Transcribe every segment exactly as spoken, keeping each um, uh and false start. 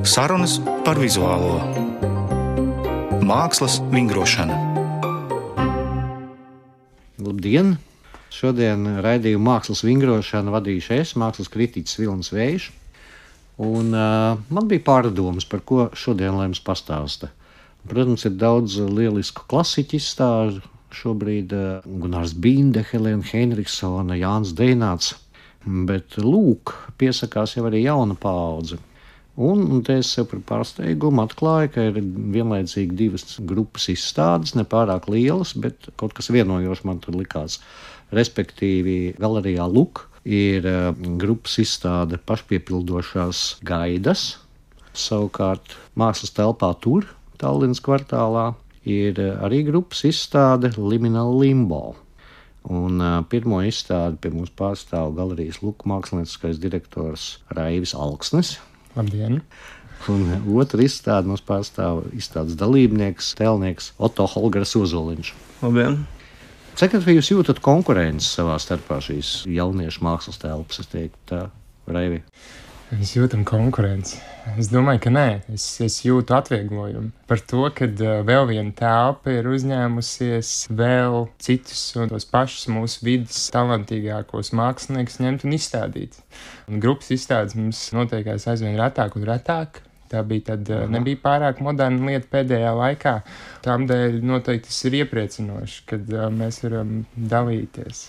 Sarunas par vizuālo mākslas vingrošanu. Labdien! Šodien raidījumu mākslas vingrošanu vadīšu es, mākslas kritiķis Vilnis Vējš. Un, uh, man bija pārdomas, par ko šodien lai jums pastāsta. Protams, ir daudz lielisku klasiķu izstāžu. Šobrīd uh, Gunārs Binde, Helēna Heinrichsone, Jānis Deināts. Bet lūk, piesakās jau arī jauna paudze. Un, un te es sev par pārsteigumu atklāju, ka ir vienlaicīgi divas grupas izstādes, nepārāk lielas, bet kaut kas vienojošs man tur likās. Respektīvi, galerijā Luk ir uh, grupas izstāde pašpiepildošās gaidas. Savukārt mākslas telpā Tur, Tallinas kvartālā, ir uh, arī grupas izstāde Liminal Limbo. Un uh, pirmo izstādi pie mums pārstāv galerijas Luk mākslinieckais direktors Raivis Alksnis. Labdien! Un otru izstādi mums pārstāv izstādes dalībnieks, tēlnieks Otto Holgers Ozoliņš. Labdien! Cik vai jūs jūtat konkurenci savā starpā šīs jauniešu mākslas telpas, es teiktu tā, Raivi? Mēs jūtam konkurenci. Es domāju, ka nē. Es, es jūtu atvieglojumu par to, ka uh, vēl viena telpa ir uzņēmusies vēl citus un tos pašus mūsu vidas talantīgākos māksliniekus ņemt un izstādīt. Un grupas izstādes mums notiekās aizvien retāk un retāk. Tā bija tad, uh, nebija pārāk moderna lieta pēdējā laikā. Tādēļ noteikti tas ir iepriecinoši, kad uh, mēs varam dalīties.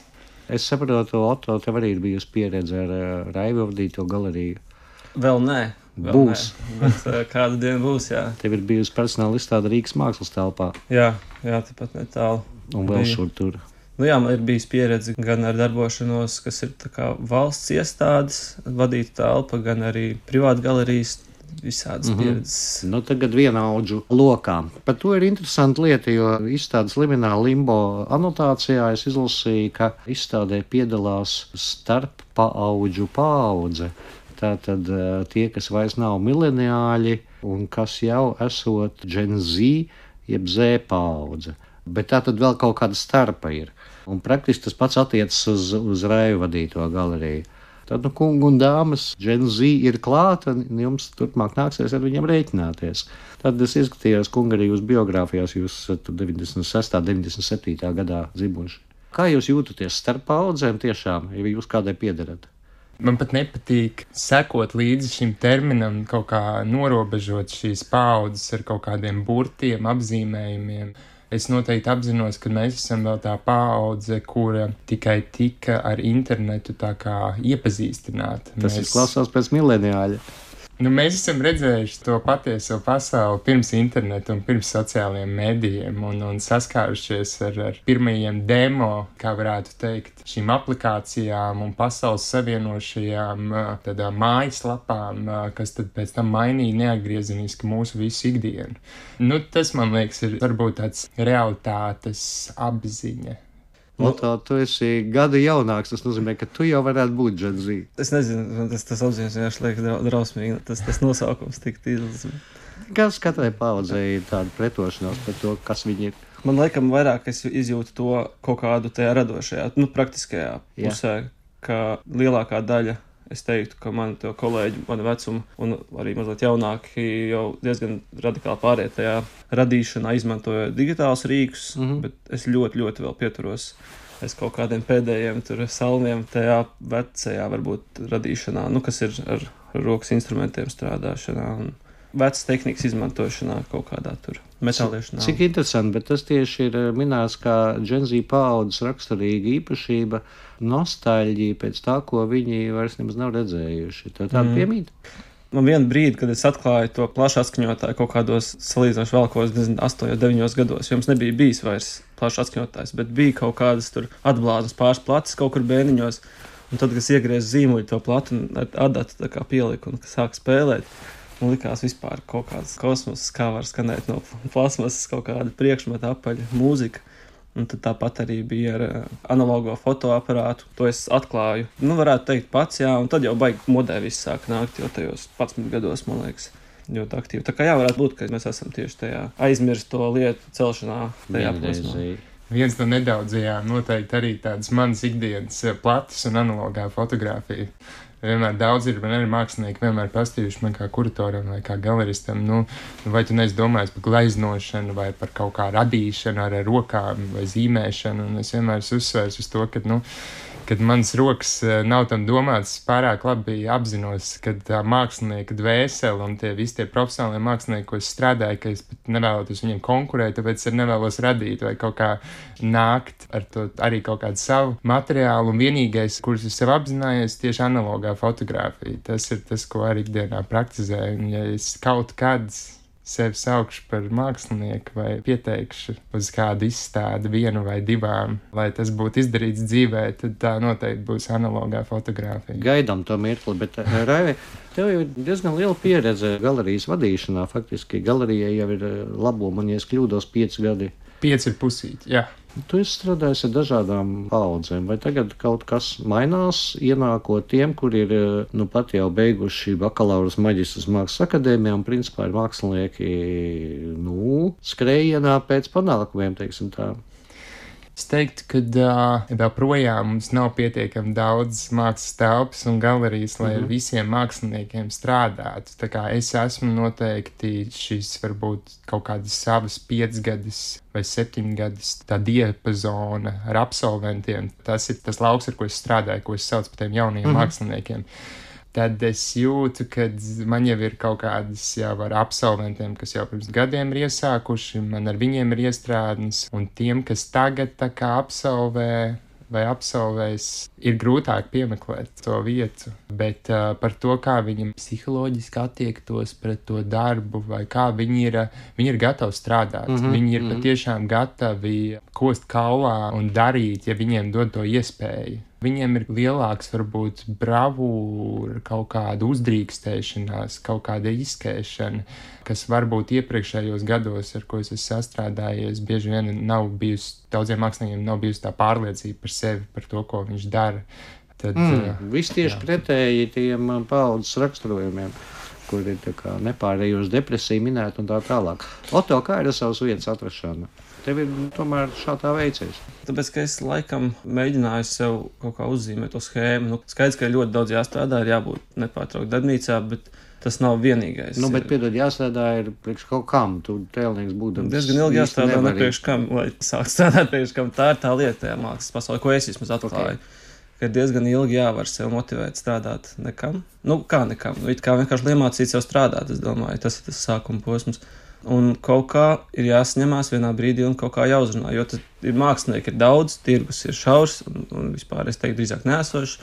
Es saprotu, Otto, tev arī ir bijusi pieredze ar uh, Raivi vadīto galeriju. Vēl nē. Vēl Būs. Nē, bet uh, kādu dienu būs, jā. Tev ir bijusi personāla izstāde Rīgas mākslas telpā. Jā, jā, tāpat netālu. Un vēl bija. šur tur. Nu jā, man ir bijis pieredze gan ar darbošanos, kas ir tā kā valsts iestādes, vadīta telpa, gan arī privāta galerijas, visādas mm-hmm. pieredzes. Nu, tagad vienaudžu lokā. Par to ir interesanta lieta, jo izstādes Liminal Limbo anotācijā es izlasīju, ka izstādē piedalās starp paaudžu paudze. Tātad tie, kas vairs nav mileniāļi un kas jau esot Gen Z, jeb Z paudze. Bet tātad vēl kaut kāda starpa ir. Un praktiski tas pats attiecas uz, uz Raivi vadīto galeriju. Tad, nu, kungi un dāmas, Gen Z ir klāta, un jums turpmāk nāksies ar viņiem rēķināties. Tad es izskatījos, kungi, arī jūs biogrāfijās, jūs deviņdesmit sestā, deviņdesmit septītā gadā dzimuši. Kā jūs jūtaties starp paudzēm tiešām, ja jūs kādai piederat? Man pat nepatīk sekot līdzi šim terminam, kaut kā norobežot šīs paaudzes ar kaut kādiem burtiem, apzīmējumiem. Es noteikti apzinos, ka mēs esam vēl tā paudze, kura tikai tika ar internetu tā kā iepazīstināta. Tas mēs... izklausās pēc mileniāļa. Nu, mēs esam redzējuši to patieso pasauli pirms interneta un pirms sociālajiem medijiem un, un saskārušies ar, ar pirmajiem demo, kā varētu teikt, šīm aplikācijām un pasaules savienošajām tādām mājaslapām, kas tad pēc tam mainīja neatgriezeniski mūsu visu ikdienu. Nu, tas, man liekas, ir varbūt tāds realitātes apziņa. Otto, tu esi gadu jaunāks, tas nozīmē, ka tu jau varētu būt Gen Z. Es nezinu, tas, tas apziņas vienkārši liek drausmīgi, tas, tas nosaukums tik tīdls. Kas katrai paudzei ir tāda pretošanās par to, kas viņi ir? Man laikam vairāk es izjūtu to kaut kādu tajā radošajā, nu, praktiskajā pusē, Jā. Ka lielākā daļa, es teiktu, ka mani to kolēģi, mani vecuma un arī mazliet jaunāki jau diezgan radikāli pāriet tajā radīšanā, izmantojot digitālus rīkus, mm-hmm. bet es ļoti, ļoti vēl pieturos es kaut kādiem pēdējiem tur salmiem tajā vecajā varbūt radīšanā, nu, kas ir ar rokas instrumentiem strādāšanā un vecas tehnikas izmantošanā kaut kādā tur metāliešanā. Cik interesanti, bet tas tieši ir minēts kā Gen Z paaudzes raksturīga īpašība, nostalģija pēc tā, ko viņi vairs nemaz nav redzējuši. Tā tāda mm. piemīt? Man vienu brīdi, kad es atklāju to plašu atskaņotāju kaut kādos salīdzinoši vēl kaut kādos astoņos, deviņos gados, jums nebija bijis vairs plašs atskaņotājs, bet bija kaut kādas tur atblāzmas pāris plates kaut kur bēniņos, un tad, kad es iegriez zīmuļu to platu un ar adatu tā kā pieliku un sāk spēlēt, man likās vispār kaut kāds kosmos, kā var skanēt no plasmasas kaut kāda priekšmeta apaļa mūzika. Un tad tāpat arī bija ar analogo fotoaparātu. To es atklāju, nu varētu teikt pats, jā, un tad jau baigi modē viss sāk nākt, jo tajos padsmit gados, man liekas, ļoti aktīvi. Tā kā jā, varētu būt, ka mēs esam tieši tajā aizmirst to lietu celšanā tajā posmā. Viens no nedaudzajām noteikti arī tādas manas ikdienas plates un analogā fotografija. Vienmēr daudz ir, man arī mākslinieki vienmēr pastījuši man kā kuratoram vai kā galeristam, nu, vai tu neesi domājis par gleznošanu vai par kaut kā radīšanu ar rokām vai zīmēšanu, un es vienmēr esmu uzsvērs uz to, ka, nu, kad manas rokas nav tam domāts, pārāk labi apzinos, ka tā mākslinieka dvēsele un tie visi tie profesionālie mākslinieki, ko es strādāju, ka es pat nevēlotos viņiem konkurēt, tāpēc es nevēlos radīt vai kaut kā nākt ar to arī kaut kādu savu materiālu, un vienīgais, kurus es sev apzinājies, tieši analogā fotografija. Tas ir tas, ko arī ikdienā praktizēju, un ja es kaut kāds sevi saukšu par mākslinieku vai pieteikšu uz kādu izstādi vienu vai divām, lai tas būtu izdarīts dzīvē, tad tā noteikti būs analogā fotografija. Gaidām to mirkli, bet Raivi, tev jau ir diezgan liela pieredze galerijas vadīšanā. Faktiski galerijai jau ir labo, man ja es kļūdos, pieci gadi. Pieci ir pusīti, jā. Tu esi strādājis ar dažādām paudzēm, vai tagad kaut kas mainās, ienākot tiem, kuri ir nu pat jau beiguši bakalaurus maģistras mākslas akadēmijā un principā ir mākslinieki, nu, skrējienā pēc panākumiem, teiksim tā. Es teiktu, ka uh, vēl projām mums nav pietiekami daudz mākslas telpas un galerijas, lai mm-hmm. ar visiem māksliniekiem strādātu. Tā kā es esmu noteikti šis varbūt kaut kādas savas piecgadis vai septiņgadis tā diapazona ar absolventiem. Tas ir tas lauks, ar ko es strādāju, ko es saucu par tiem jaunajiem mm-hmm. māksliniekiem. Tad es jūtu, ka man jau ir kaut kādas jau ar absolventiem, kas jau pirms gadiem ir iesākuši, man ar viņiem ir iestrādnes, un tiem, kas tagad tā kā absolvē vai absolvēs, ir grūtāk piemeklēt to vietu, bet uh, par to, kā viņi psiholoģiski attiektos pret to darbu, vai kā viņi ir, viņi ir gatavi strādāt, mm-hmm, viņi ir mm-hmm. patiešām gatavi kost kaulā un darīt, ja viņiem dod to iespēju. Viņiem ir lielāks, varbūt, bravūra, kaut kāda uzdrīkstēšanās, kaut kāda izskēšana, kas varbūt iepriekšējos gados, ar ko es esmu sastrādājies, bieži vien nav bijusi, daudziem māksliniekiem nav bijusi tā pārliecība par sevi, par to, ko viņš dara. Tad, mm, viss tieši jā. Pretēji tiem paudzes raksturojumiem, kur ir tā kā nepārējoši depresija minēta un tā tālāk. Oto, kā ir ar savas vietas atrašana? Tev ir tomēr šādā veicies. Tāpēc, ka es laikam mēģināju sev kaut kā uzzīmēt to schēmu. Nu, skaidrs, ka ir ļoti daudz jāstrādā, ir jābūt nepārtraukt darbnīcā, bet tas nav vienīgais. Nu, bet, piedod, jāstrādā ir priekš kaut kam. Tu tēlnieks būdams. Diezgan ilgi jāstrādā ne priekš kam, lai sāk strādāt priekš kam. Tā ir tā lieta tajā mākslas pasaulē, ko es vismaz atklāju. Okay. Ka diezgan ilgi jāvar sev motivēt strādāt nekam. Nu, kā nekam. Nu, it kā vienkārši iemācīt sev strādāt, es domāju. Tas ir tas sākuma posms. Un kaut kā ir jāsaņemās vienā brīdī un kaut kā jāuzrunā, jo tad ir mākslinieki, ir daudz, tirgus ir šaurs un, un vispār, es teiktu, drīzāk neesošs.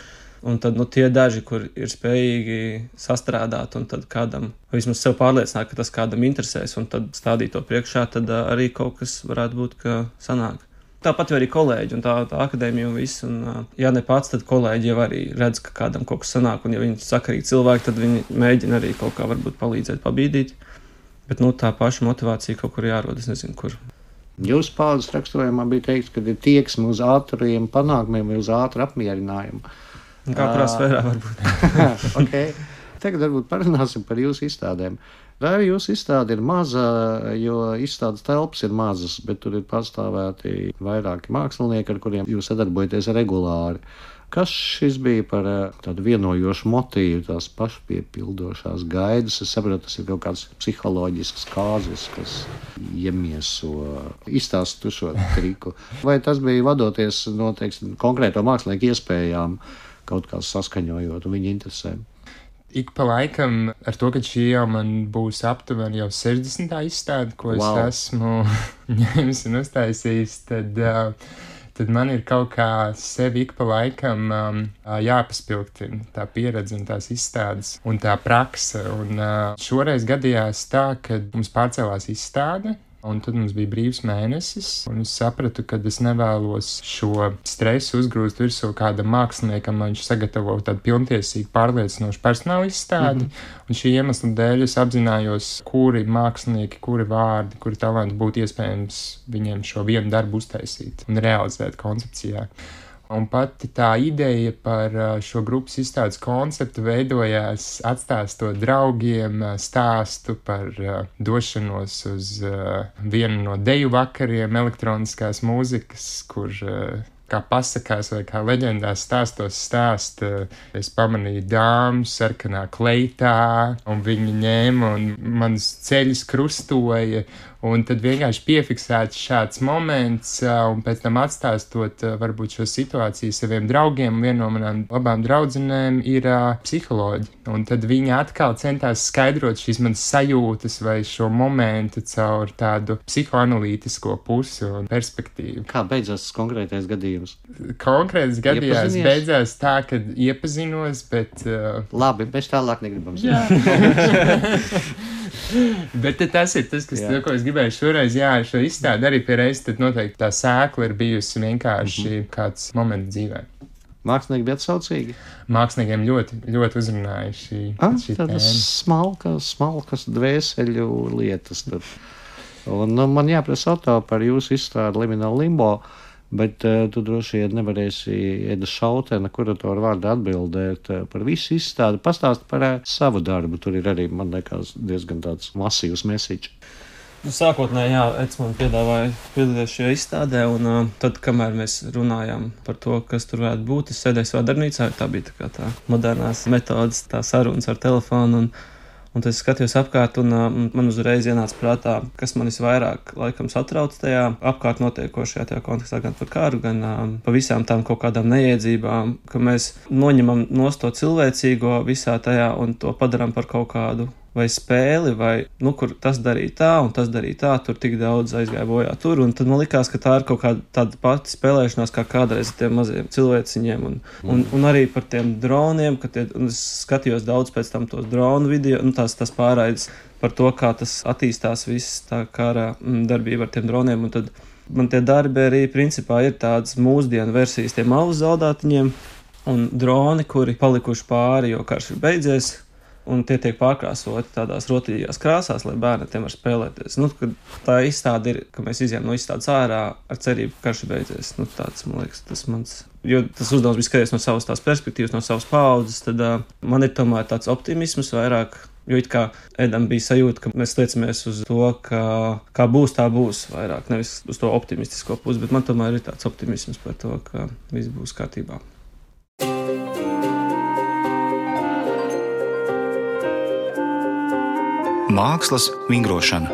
Un tad, nu, tie daži, kur ir spējīgi sastrādāt un tad kādam, vismaz sev pārliecināt, ka tas kādam interesēs un tad stādīt to priekšā, tad uh, arī kaut kas varētu būt, ka sanāk. Tāpat jau arī kolēģi un tā, tā akadēmija un viss, un uh, ja ne pats, tad kolēģi jau arī redz, ka kādam kaut kas sanāk, un ja viņi sakarīgi cilvēki, tad viņi mēģina arī kaut kā varbūt palīdzēt, pabīdīt. Bet, nu, tā paša motivācija kaut kur jārod, es nezinu, kur. Jūsu paudzes raksturojumā bija teikts, ka ir tieksme uz ātriem panākumiem vai uz ātru apmierinājumu. Kā kurā sfērā varbūt. Okay. Tagad varbūt parunāsim par jūsu izstādēm. Raivi, jūsu izstāde ir maza, jo izstādes telpas ir mazas, bet tur ir pastāvēti vairāki mākslinieki, ar kuriem jūs sadarbojaties regulāri. Kas šis bija par tādu vienojošu motīvu, tās pašpiepildošās gaidas? Es saprotu, tas ir kaut kāds psiholoģisks kāzis, kas iemieso, izstāst tu šo triku. Vai tas bija vadoties no, teiksim, konkrēto mākslinieku iespējām, kaut kā saskaņojot un viņa interesēm? Ik pa laikam, ar to, ka šī jau man būs aptuveni jau sešdesmitā izstāde, ko wow. es esmu ņēmis un uztaisījis, tad... Uh, tad man ir kaut kā sevi ik pa laikam um, jāpaspilgtina tā pieredze un tās izstādes un tā prakse. Un uh, šoreiz gadījās tā, ka mums pārcēlās izstāde, un tad mums bija brīvs mēnesis, un es sapratu, ka es nevēlos šo stresu uzgrūst virsū kādam māksliniekam, lai viņš sagatavo tādu pilntiesīgu pārliecinošu personāla izstādi, mm-hmm. un šī iemesla dēļ es apzinājos, kuri mākslinieki, kuri vārdi, kuri talanti būtu iespējams viņiem šo vienu darbu uztaisīt un realizēt koncepcijā. Un pati tā ideja par šo grupas izstādes konceptu veidojās atstāstot draugiem stāstu par došanos uz vienu no deju vakariem elektroniskās mūzikas, kur, kā pasakās vai kā leģendās stāstos stāst, es pamanīju dāmu sarkanā kleitā, un viņi ņēma un manas ceļus krustoja. Un tad vienkārši piefiksēts šāds moments, un pēc tam atstāstot varbūt šo situāciju saviem draugiem. Viena no manām labām draudzenēm ir uh, psiholoģi. Un tad viņa atkal centās skaidrot šīs manas sajūtas vai šo momentu caur tādu psihoanalītisko pusi un perspektīvu. Kā beidzās tas konkrētais gadījums? Konkrēts gadījums beidzās tā, ka iepazinos, bet... Uh... Labi, mēs tālāk negribam zināt. Bet tas ir tas, kas, to, ko es gribēju šoreiz, jā, šo izstādi arī pie reizes, tad noteikti tā sēkla ir bijusi vienkārši mm-hmm. kāds moments dzīvē. Mākslinieki bija atsaucīgi? Māksliniekiem ļoti, ļoti uzrunāja šī, ah, šī tēma. Tādas smalkas, smalkas dvēseļu lietas. Tad. Un nu, man jāprasa auto par jūsu izstādi Liminal Limbo, bet uh, tu droši vien nevarēsi Eda Šautena kuratora vārdā atbildēt uh, par visu izstādi. Pastāst par uh, savu darbu. Tur ir arī, man liekas, diezgan tāds masīvs message. Nu, sākotnēji, jā, Eds man piedāvāja piedalīties šajā izstādē, un uh, tad, kamēr mēs runājām par to, kas tur varētu būt, es sēdēju savā darbnīcā, tā bija tā kā tā modernās metodas, tā sarunas ar telefonu, un Un tad es skatījos apkārt, un uh, man uzreiz ienāca prātā, kas man visvairāk laikam satrauc tajā apkārt notiekošajā tajā kontekstā, gan par kāru, gan uh, pa visām tām kaut kādām neiedzībām, ka mēs noņemam nost to cilvēcīgo visā tajā un to padaram par kaut kādu vai spēli, vai, nu, kur tas darīja tā, un tas darīja tā, tur tik daudz aizgāja bojā tur, un tad man likās, ka tā ir kaut kāda tāda pati spēlēšanās, kā kādreiz ar tiem maziem cilvēciņiem, un, mm. un, un arī par tiem droniem, ka tie, un es skatījos daudz pēc tam tos dronu video, nu, tās, tas pārraides par to, kā tas attīstās viss tā kara darbība ar tiem droniem, un tad man tie darbi arī principā ir tādas mūsdienu versijas tiem alus zaldātiņiem, un droni, kuri palikuši pāri, jo karš ir beidzies, un tie tiek pārkrāsoti tādās rotaļīgās krāsās, lai bērni tiem var spēlēties. Nu, tā izstāde ir, ka mēs izjām no izstādes ārā ar cerību, ka karš ir beidzies. Nu, tāds, man liekas, tas mans... Jo tas uzdevums bija skaties no savas tās perspektīvas, no savas paudzes, tad uh, man ir tomēr tāds optimisms vairāk, jo it kā Edam bija sajūta, ka mēs liecamies uz to, ka kā būs, tā būs vairāk, nevis uz to optimistisko pusi, bet man tomēr ir tāds optimisms par to, ka viss būs kārtībā. Mākslas vingrošana.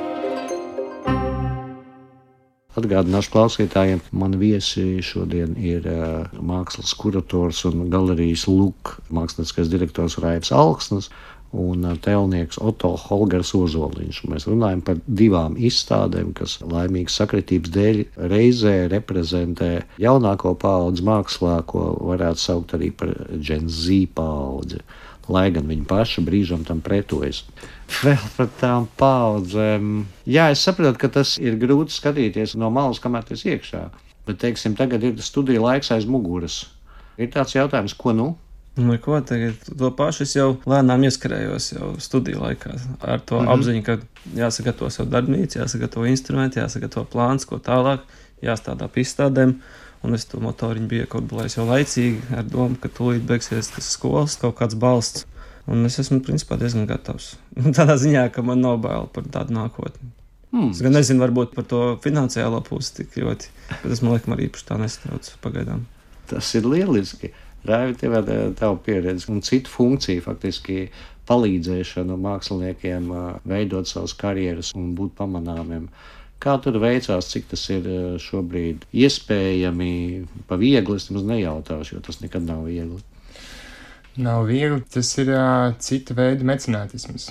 Atgādināšu klausītājiem, man viesi šodien ir uh, mākslas kurators un galerijas Luk mākslinieckais direktors Raivs Alksnis un uh, tēlnieks Oto Holgers Ozoliņš. Mēs runājam par divām izstādēm, kas laimīgas sakritības dēļ reizē reprezentē jaunāko paudzi mākslā, ko varētu saukt arī par Gen Z paudzi, lai gan viņi paši brīžam tam pretojas. Vēl par tām paudzēm. Jā, es saprotu, ka tas ir grūti skatīties no malas, kamēr tas iekšā. Bet, teiksim, tagad ir studija laiks aiz muguras. Ir tāds jautājums, ko nu? Nu, ko tagad? To pašu es jau lēnām ieskarējos jau studiju laikā. Ar to mm-hmm. apziņu, ka jāsagatavo savu darbnīcu, jāsagatavo instrumenti, jāsagatavo plāns, ko tālāk, jāstādā pie izstādēm. Un es to motoriņu biju iekodolējis jau laicīgi ar domu, ka tūlīt beigsies tas skolas, kaut kāds balsts. Un es esmu, principā, diezgan gatavs. Tādā ziņā, ka man nav bail par tādu nākotni. Mm. Es gan nezinu, varbūt par to finansiālo pusi tik ļoti, bet es, man liekas, arī īpaši tā nestrauc pagaidām. Tas ir lieliski. Raivi, tev ir tava pieredze un citu funkciju, faktiski palīdzēšanu māksliniekiem veidot savas karjeras un būt pamanāmiem. Kā tur veicās, cik tas ir šobrīd iespējami, pa viegli, es nemaz nejautāšu, jo tas nekad nav viegli. Nav viegli, tas ir uh, cita veida mecenātisms.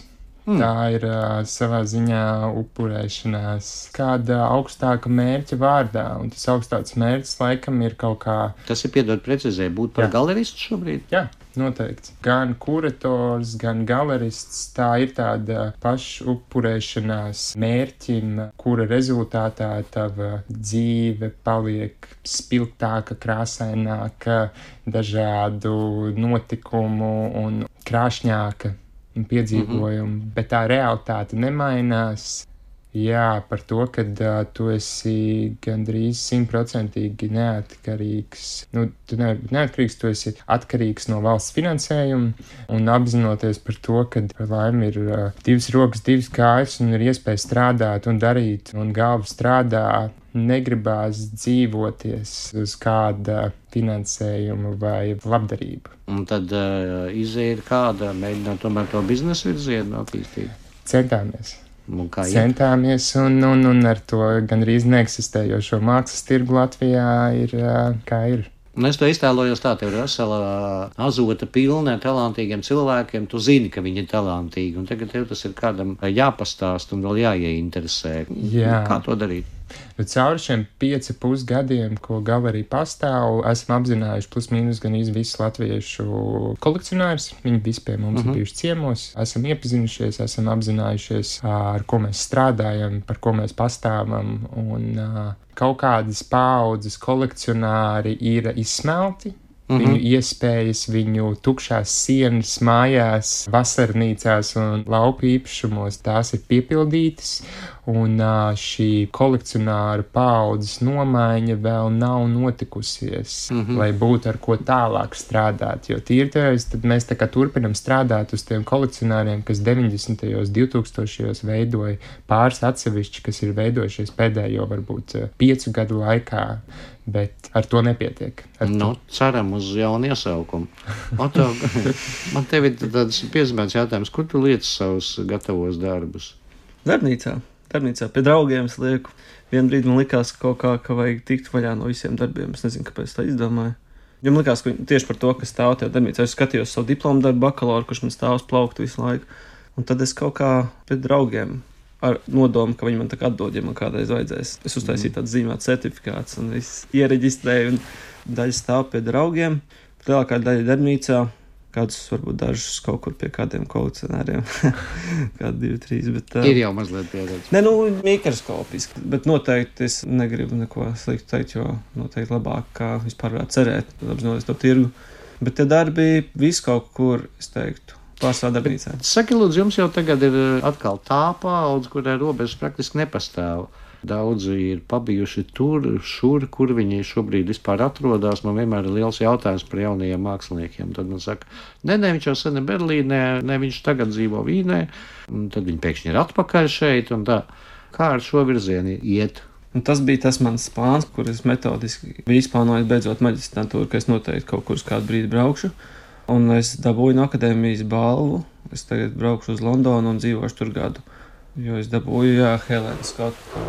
Mm. Tā ir uh, savā ziņā upurēšanās kāda augstāka mērķa vārdā, un tas augstāks mērķis laikam ir kaut kā... Tas ir, piedod precizē, būt par Jā. galeristu šobrīd? Jā, noteikti. Gan kurators, gan galerists, tā ir tāda pašupurēšanās mērķim, kura rezultātā tava dzīve paliek spilgtāka, krāsaināka, dažādu notikumu un krāšņāka piedzīvojumu, mm-hmm. bet tā realitāte nemainās. Jā, par to, ka uh, tu esi gandrīz simtprocentīgi neatkarīgs. Nu, tu nevari būt neatkarīgs, tu esi atkarīgs no valsts finansējuma un apzinoties par to, ka par laimi ir uh, divas rokas, divas kājas un ir iespēja strādāt un darīt un galva strādā. Negribās dzīvoties uz kāda finansējuma vai labdarība. Un tad uh, izēja ir kāda, mēģināt tomēr to biznesa virzienu attīstīt? Centāmies. Un Centāmies, un, un, un ar to gandrīz neeksistējošo mākslas tirgu Latvijā ir kā ir. Un es to iztēlojos tā, tev ir vesela azota pilna ar talantīgiem cilvēkiem, tu zini, ka viņi ir talantīgi, un tagad tev tas ir kādam jāpastāst un vēl jāieinteresē. Jā. Kā to darīt? Nu, cauri šiem pieci pusgadiem, ko galerija pastāv, esam apzinājuši plus mīnus gan visus latviešu kolekcionārus. Viņi visi pie mums uh-huh. ir bijuši ciemos, esam iepazinušies, esam apzinājušies, ar ko mēs strādājam, par ko mēs pastāvam, un kaut kādas paaudzes kolekcionāri ir izsmelti. Mm-hmm. Viņu iespējas, viņu tukšās sienas mājās, vasarnīcās un lauku īpašumos, tās ir piepildītas, un šī kolekcionāra paaudzes nomaiņa vēl nav notikusies, mm-hmm. lai būtu ar ko tālāk strādāt, jo tīri tevis, tad mēs tā kā turpinam strādāt uz tiem kolekcionāriem, kas deviņdesmitajos, divtūkstošajos veidoja pāris atsevišķi, kas ir veidojušies pēdējo varbūt piecu gadu laikā. Bet ar to nepietiek. Ar nu, to. Ceram uz jaunu iesaukumu. Oto, man tev ir tāds piezīmēts jautājums, kur tu liec savus gatavos darbus? Darbnīcā. Darbnīcā pie draugiem es lieku. Vienu brīdi man likās kaut kā, ka vajag tikt vaļā no visiem darbiem. Es nezinu, kāpēc tā izdomāju. Jo man likās, ka tieši par to, kas stāv tajā darbnīcā, es skatījos savu diplomu darbu bakalauru, kurš man stāv uz plauktu visu laiku. Un tad es kaut kā pie draugiem ar nodomu, ka viņi man tā kā atdod, ja man kādreiz vajadzēs. Es uztaisīju tādu zīmētu certifikāts un viss iereģistrēju, un daļa stāv pie draugiem, lielākā daļa darbnīcā, kādus varbūt dažus kaut kur pie kādiem kolekcionāriem, kādi divi, trīs, bet... Uh, ir jau mazliet pieredze. Ne, nu, mikroskopiski, bet noteikti es negribu neko sliktu teikt, jo noteikti labāk, kā vispār varētu cerēt, apzinoties to tirgu. Bet tie darbi viss kaut kur, es teiktu, pārsvarā darbnīcā. Saki, lūdzu, jums jau tagad ir atkal tā paudze, kurai robežas praktiski nepastāv. Daudzi ir pabijuši tur, šur, kur viņi šobrīd vispār atrodas. Man vienmēr ir liels jautājums par jaunajiem māksliniekiem. Tad man saka, ne, ne, viņš jau sen ir Berlīnē, ne, viņš tagad dzīvo Vīnē. Un tad viņi pēkšņi ir atpakaļ šeit un tā. Kā ar šo virzienu iet? Un tas bija tas mans plāns, kur es metodiski biju izplānojis beidzot maģistrantūru, ka es noteikti kaut kur uz kādu brīdi braukšu. Un es dabūju no akadēmijas balvu. Es tagad braukšu uz Londonu un dzīvošu tur gadu. Jo es dabūju, jā, Helēna Skotu.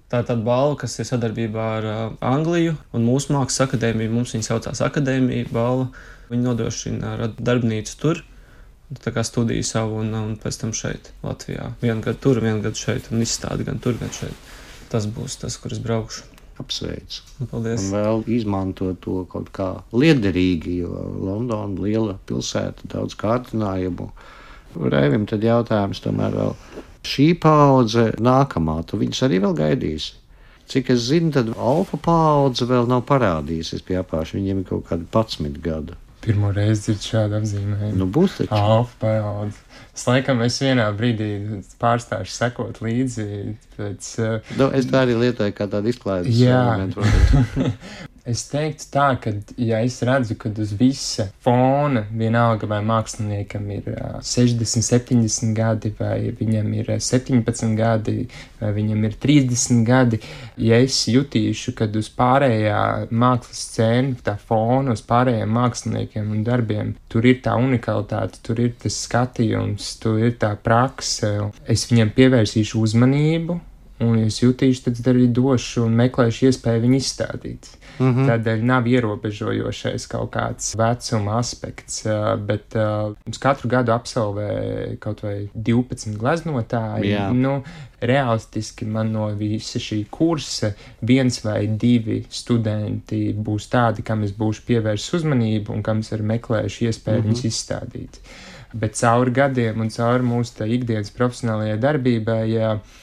Tā ir tāda balva, kas ir sadarbībā ar uh, Angliju. Un mūsu mākslas akadēmija, mums viņa saucās akadēmija balva. Viņa nodrošina ar darbnīcu tur. Tā kā studiju savu un, un pēc tam šeit, Latvijā. Vienu gadu tur, vienu gadu šeit un izstādi gan tur, gan šeit. Tas būs tas, kur es braukšu. Apsveic. Paldies. Un vēl izmanto to kaut kā liederīgi, jo Londona liela pilsēta, daudz kārdinājumu. Raivim tad jautājums tomēr vēl. Šī paudze nākamā, tu viņus arī vēl gaidīsi? Cik es zinu, tad alfa paudze vēl nav parādījusies pie apāša, viņiem ir kaut kādi padsmit gadu. Pirmo reizi dzird šādu apzīmējumu. Nu būs taču. Alfa paudze. Es laikam es vienā brīdī pārstāšu sekot līdzi pēc... Uh, no, es tā arī lietoju kā tādu izklaides elementu. Es teiktu tā, ka, ja es redzu, ka uz visa fona vienalga vai māksliniekam ir uh, sešdesmit, septiņdesmit gadi, vai viņam ir septiņpadsmit gadi, vai viņam ir trīsdesmit gadi, ja es jutīšu, kad uz pārējā mākslas scēna, tā fona, uz pārējiem māksliniekiem un darbiem, tur ir tā unikalitāte, tur ir tas skatījums, tur ir tā prakse, es viņam pievērsīšu uzmanību, un es jutīšu, tad arī došu un meklēšu iespēju viņu izstādīt. Mm-hmm. Tādēļ nav ierobežojošais kaut kāds vecuma aspekts, bet uh, mums katru gadu absolvē kaut vai divpadsmit gleznotāji. Jā. Nu, realistiski man no visa šī kursa viens vai divi studenti būs tādi, kam es būšu pievērsis uzmanību un kam es arī meklēšu iespēju mm-hmm. viņus izstādīt. Bet cauri gadiem un cauri mūsu tā ikdienas profesionālajai darbībai,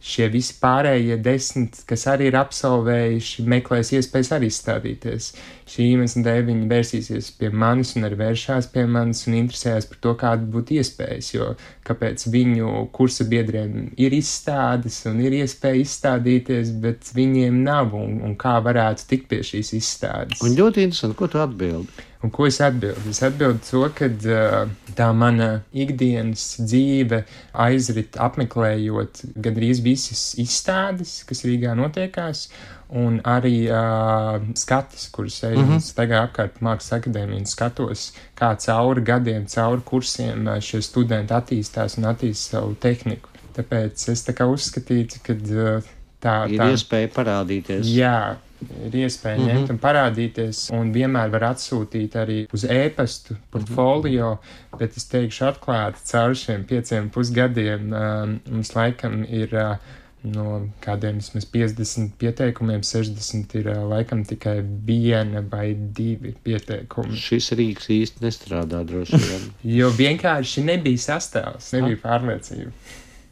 šie visi pārējie desmit, kas arī ir absolvējuši, meklēs iespējas arī izstādīties. Šī iemesla dēļ viņi vērsīsies pie manis un arī vēršās pie manis un interesējas par to, kāda būtu iespējas, jo kāpēc viņu kursa biedriem ir izstādes un ir iespēja izstādīties, bet viņiem nav un, un kā varētu tikt pie šīs izstādes. Un ļoti interesanti, ko tu atbildi? Un ko es atbildu? Es atbildu to, ka uh, tā mana ikdienas dzīve aizrit apmeklējot gandrīz visas izstādes, kas Rīgā notiekās, un arī uh, skatis, kurus eju mm -hmm. staigāju apkārt Mākslas akadēmiju un skatos, kā cauri gadiem, cauri kursiem uh, šie studenti attīstās un attīst savu tehniku. Tāpēc es tā kā uzskatītu, ka uh, tā... Ir tā, iespēja parādīties. Jā. Ir iespēja mm -hmm. ņemt un parādīties, un vienmēr var atsūtīt arī uz e-pastu portfolio, bet es teikšu atklāti, caur šiem pieciem pusgadiem um, mums laikam ir uh, no kādiem vismaz piecdesmit pieteikumiem, sešdesmit ir uh, laikam tikai viena vai divi pieteikumi. Šis rīks īsti nestrādā droši vien. Jo vienkārši nebija sastāvs, nebija pārliecība.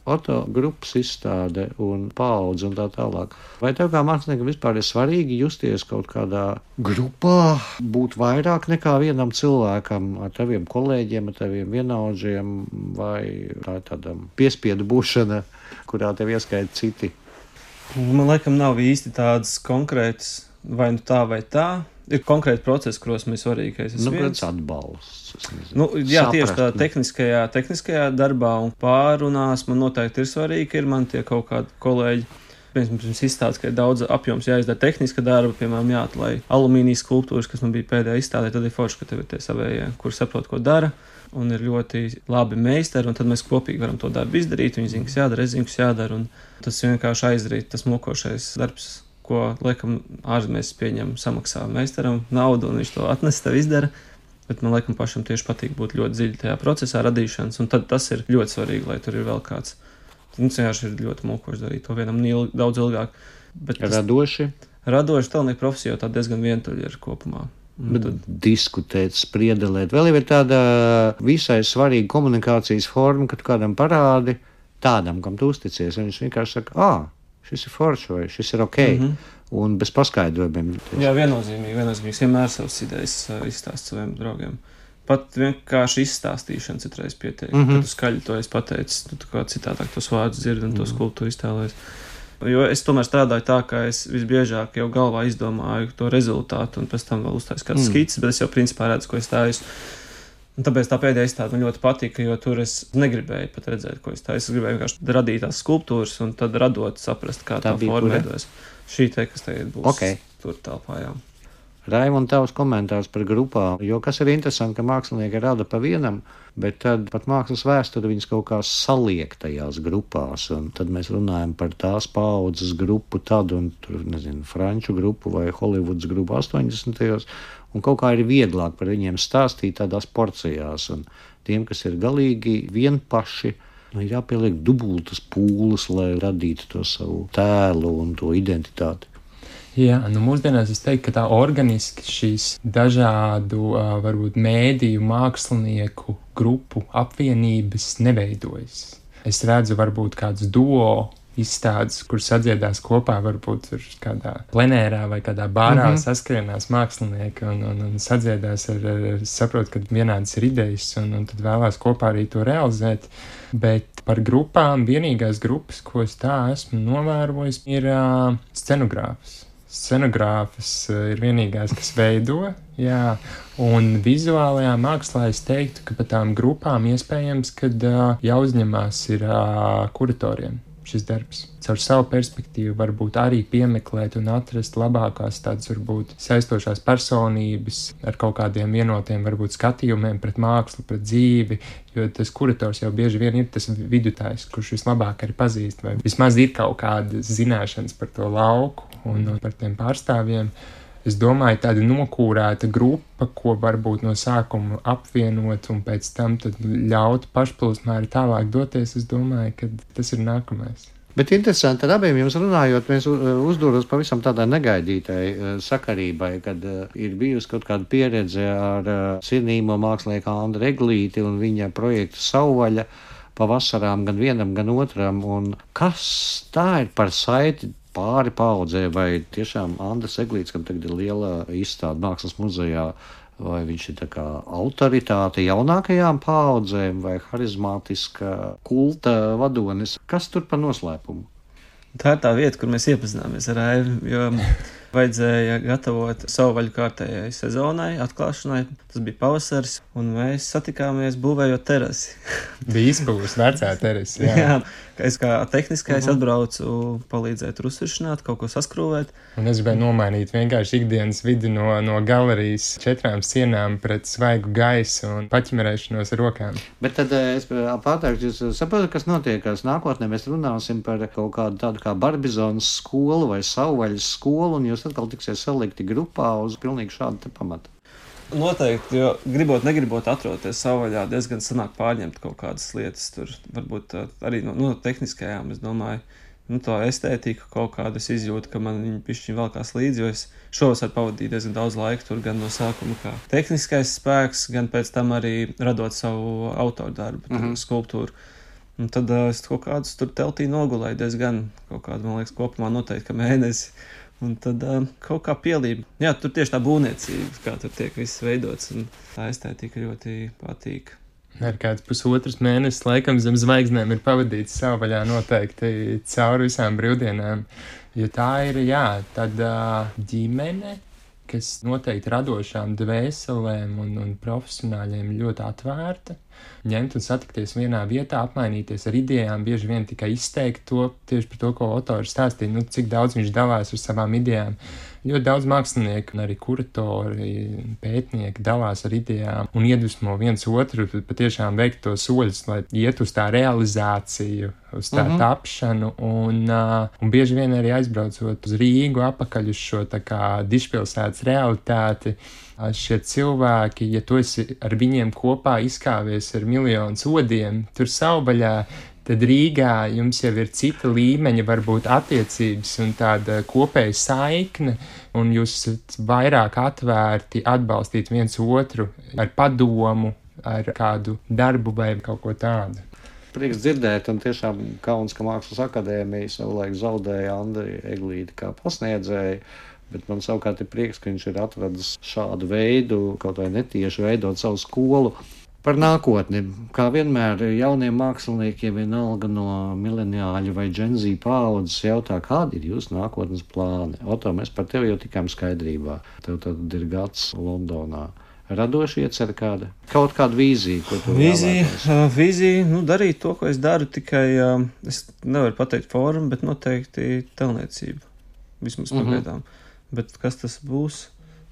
Oto grupas izstāde un paudze un tā tālāk. Vai tev kā māksliniekam vispār ir svarīgi justies kaut kādā grupā, būt vairāk nekā vienam cilvēkam, ar taviem kolēģiem, ar taviem vienaudžiem, vai tā ir tāda piespiedu būšana, kurā tev ieskaita citi? Man laikam nav īsti tādas konkrētas, vai nu tā vai tā. Ir konkrēti procesi, kuros mēs svarīgi, ka es esmu nu, viens. Atbalsts. Nu, jā, Saprast, tieši tā ne? tehniskajā, tehniskajā darbā un pārunās man noteikti ir svarīgi, ka ir man tie kaut kādi kolēģi. Pirms izstādes, ka ir daudz apjoms jāizdara tehniska darba, piemēram, jāatlai alumīnijas skulptūras, kas man bija pēdējā izstādē, tad ir forši, ka tev ir tie savējie, kur saprot, ko dara, un ir ļoti labi meistari, un tad mēs kopīgi varam to darbu izdarīt, viņi zina, kas jādara, es zinu, kas jādara, un tas vienkārši aizdarīt, tas mokošais darbs, ko, laikam, ārzemēs pieņem, samaksā meistaram naudu, un viņš to atnes, tev izdara. Bet man, laikam, pašam tieši patīk būt ļoti dziļi tajā procesā radīšanas, un tad tas ir ļoti svarīgi, lai tur ir vēl kāds. Mums vienkārši ir ļoti mokoši darīt to vienam ilg, daudz ilgāk. Bet tas, radoši? Radoši tālnieku profesija jau tā diezgan vientuļa ir kopumā. Bet tad diskutēt, spriedelēt. Vēl jau ir tāda visai svarīga komunikācijas forma, kad kādam parādi tādam, kam tu uzticies, un viņš vienkārši saka, ā, šis ir forši vai šis ir ok, mm -hmm. un bez paskaidrojumiem. Jā, viennozīmīgi, viennozīmīgi, vienmēr savas idejas uh, izstāst saviem draugiem. Pat vienkārši izstāstīšana citreiz pietiek, mm -hmm. kad tu skaļi to esi pateicis, tu kā citādāk tos vārdus dzirdi un to skulptūru iztēlojies. Jo es tomēr strādāju tā, ka es visbiežāk jau galvā izdomāju to rezultātu un pēc tam vēl uztaisu kāds mm. skicis, bet es jau principā redzu, ko es stāju. Un tāpēc tā pēdējā izstāde man ļoti patika, jo tur es negribēju pat redzēt, ko es tā. Es gribēju vienkārši radīt tās skulptūras un tad radot saprast, kā tā, tā forma veidojas. Šī te, kas tagad būs okay. tur telpā, jā. Raimond, tavs komentārs par grupām, jo kas ir interesanti, ka mākslinieki rada pa vienam, bet tad pat mākslas vēsture viņas kaut kā saliek tajās grupās, un tad mēs runājam par tās paudzes grupu tad, un tur, nezinu, franču grupu vai Hollywoods grupu astoņdesmitajos, un kaut kā ir vieglāk par viņiem stāstīt tādās porcijās, un tiem, kas ir galīgi vienpaši, nu, jāpieliek dubultas pūles, lai radītu to savu tēlu un to identitāti. Jā, nu mūsdienās es teiktu, ka tā organiski šīs dažādu, varbūt mēdīju, mākslinieku grupu apvienības neveidojas. Es redzu varbūt kādus duo izstādes, kur sadziedās kopā, varbūt tur kādā plenērā vai kādā bārā mm -hmm. saskrienās mākslinieki un, un, un sadziedās ar, ar saprotu, ka vienādas ir idejas un, un tad vēlās kopā arī to realizēt. Bet par grupām vienīgās grupas, ko es tā esmu novērojis, ir uh, scenogrāfs. Scenogrāfas ir vienīgās, kas veido, jā, un vizuālajā mākslā es teiktu, ka par tām grupām iespējams, kad uh, jāuzņemās ir uh, kuratoriem šis darbs. Caur savu perspektīvu varbūt arī piemeklēt un atrast labākās tādas varbūt saistošās personības ar kaut kādiem vienotiem varbūt skatījumiem pret mākslu, pret dzīvi, jo tas kurators jau bieži vien ir tas vidutājs, kurš vislabāk arī pazīst, vai vismaz ir kaut kādas zināšanas par to lauku un, un par tiem pārstāvjiem. Es domāju, tāda nokūrēta grupa, ko varbūt no sākuma apvienot un pēc tam tad ļaut pašplūsmā arī tālāk doties, es domāju, ka tas ir nākamais. Bet interesanti, ar abiem jums runājot, mēs uzdūros pavisam tādai negaidītai sakarībai, kad ir bijusi kaut kāda pieredze ar cienījamo mākslinieku Andru Eglīti un viņa projektu Savvaļa pa vasarām gan vienam, gan otram. Un kas tā ir par saiti pāri paudzē, vai tiešām Andris Eglīts, kam tagad ir liela izstāde Mākslas muzejā, vai viņš ir tā kā autoritāte jaunākajām paudzēm vai harizmātiska kulta vadonis? Kas tur par noslēpumu? Tā ir tā vieta, kur mēs iepazināmies ar Aivi, jo vajadzēja gatavot Savvaļu kārtējai sezonai, atklāšanai. Tas bija pavasaris, un mēs satikāmies būvējot terasi. Bija izpūs vecā terasi, jā. jā. Es kā tehniskais uh-huh. atbraucu palīdzēt rusvišanāt, kaut ko saskrūvēt. Un es gribēju nomainīt vienkārši ikdienas vidi no, no galerijas četrām sienām pret svaigu gaisu un paķimerēšanos ar rokām. Bet tad es pārtākšu, jūs saprotat, kas notiekās nākotnē. Mēs runāsim par kaut kādu tādu kā Barbizonas skolu vai Savvaļas skolu, un jūs atkal tiksies salikti grupā uz pilnīgi šādu te pamatu. Noteikti, jo gribot, negribot atroties Savvaļā, diezgan sanāk pārņemt kaut kādas lietas tur, varbūt arī no, no tehniskajām, es domāju, nu to estētiku kaut kādu es izjūtu, ka man viņi pišķiņ velkās līdzi, jo es šovasar pavadīju diezgan daudz laika tur, gan no sākuma kā tehniskais spēks, gan pēc tam arī radot savu autoru darbu, mm-hmm. skulptūru. Un tad uh, es kaut kādus tur teltī nogulēju diezgan kaut kādu, man liekas, kopumā noteikti, ka mēnesi. Un tad uh, kaut kā pielība. Jā, tur tieši tā būvniecība, kā tur tiek viss veidots, un tā estētika ļoti patīk. Ar kāds pusotras mēnesis laikam zem zvaigznēm ir pavadīts Savvaļā noteikti cauri visām brīvdienām, jo tā ir, jā, tāda ģimene, kas noteikti radošām dvēselēm un, un profesionāļiem ļoti atvērta. Ņemt un satikties vienā vietā, apmainīties ar idejām, bieži vien tikai izteikt to tieši par to, ko autors stāstīja, nu, cik daudz viņš dalās ar savām idejām. Ļoti daudz mākslinieku un arī kuratori, pētnieki dalās ar idejām un iedvesmo viens otru patiešām veikt to soļus, lai iet uz tā realizāciju, uz tā mm-hmm. tapšanu un, uh, un bieži vien arī aizbraucot uz Rīgu apakaļ uz šo tā kā dišpilsētas realitāti. Šie cilvēki, ja tu esi ar viņiem kopā izkāvies ar miljonu sodiem, tur Savvaļā, tad Rīgā jums jau ir cita līmeņa, varbūt attiecības un tāda kopēja saikne, un jūs esat vairāk atvērti atbalstīt viens otru ar padomu, ar kādu darbu vai kaut ko tādu. Prieks dzirdēt, un tiešām kauns, ka Mākslas akadēmija savulaik zaudēja Andri Eglīti kā pasniedzēju. Bet man savukārt ir prieks, ka viņš ir atradis šādu veidu, kaut vai netieši veidot savu skolu par nākotni. Kā vienmēr jauniem māksliniekiem vienalga no mileniāļu vai Gen Z paaudzes jautā, kādi ir jūsu nākotnes plāni? Oto, mēs par tevi jau tikām skaidrībā. Tev tad ir gads Londonā. Radoši iecer kāda? Kaut kāda vīzija, ko tu vīzija, vēlētos? uh, vīzija, nu darīt to, ko es daru, tikai uh, es nevaru pateikt formu, bet noteikti telniecība. Vismaz Mhm. pagaidām. Bet kas tas būs,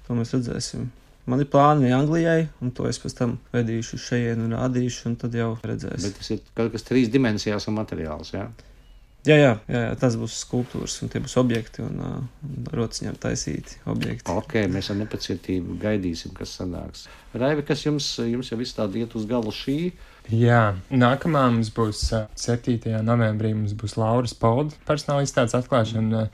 to mēs redzēsim. Man ir plāni Anglijai, un to es pēc tam vedīšu šeit un rādīšu, un tad jau redzēsim. Bet tas ir kaut kas trīs dimensijās un materiāls, jā? Jā, jā, jā, jā, tas būs skulptūras, un tie būs objekti, un, uh, un rociņām taisīti objekti. Ok, mēs ar nepacietību gaidīsim, kas sanāks. Raivi, kas jums, jums jau viss tāda iet uz galu šī? Jā, nākamā mums būs septītajā novembrī, mums būs Lauras Polda personāla izstādes atklāšana,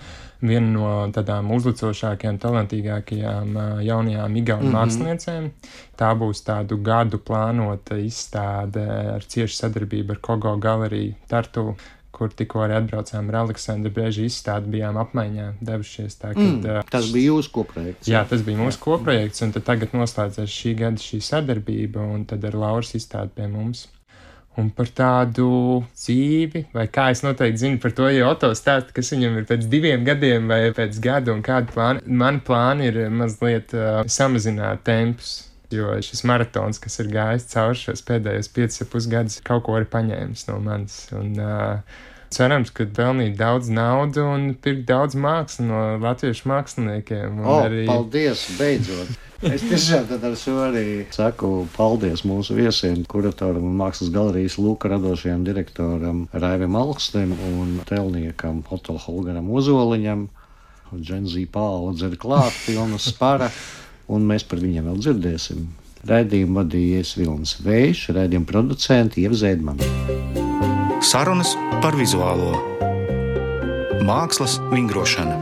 viena no tādām uzlicošākajām, talantīgākajām jaunajām igauņu mm-hmm. māksliniecēm. Tā būs tādu gadu plānota izstāde ar ciešu sadarbību ar Kogo galeriju Tartu, kur tikko arī atbraucām ar Aleksandru Brēžu izstādi, bijām apmaiņā devušies. Tā, kad, mm, tas bija jūsu koprojekts. Jā, tas bija mūsu koprojekts, un tad tagad noslēdzās šī gada šī sadarbība, un tad ar Lauras izstādi pie mums. Un par tādu dzīvi, vai kā es noteikti zinu par to, ja Oto stāsta, kas viņam ir pēc diviem gadiem vai pēc gada un kādu plānu. Man plāni ir mazliet uh, samazināt tempus. Jo šis maratons, kas ir gājis cauri šos pēdējos piecus ar pus gadus, kaut ko arī paņēmis no manis. Un uh, cerams, ka pelnīt daudz naudu un pirkt daudz mākslu no latviešu māksliniekiem. O, arī... paldies, beidzot! Es tiešām tad ar šo arī saku paldies mūsu viesiem, kuratoram un mākslas galerijas Lūka radošajam direktoram Raivim Alkstim un telniekam Oto Holgaram Ozoliņam. Gen Z paudze ir klāt, pilna spara. Un mēs par viņiem vēl dzirdēsim. Raidījumu vadījies Vilnis Vējš, raidījuma producenti Ieva Zēdmane. Sarunas par vizuālo. Mākslas vingrošana.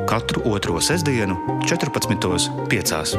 Katru otro sestdienu, četrpadsmitos piecās.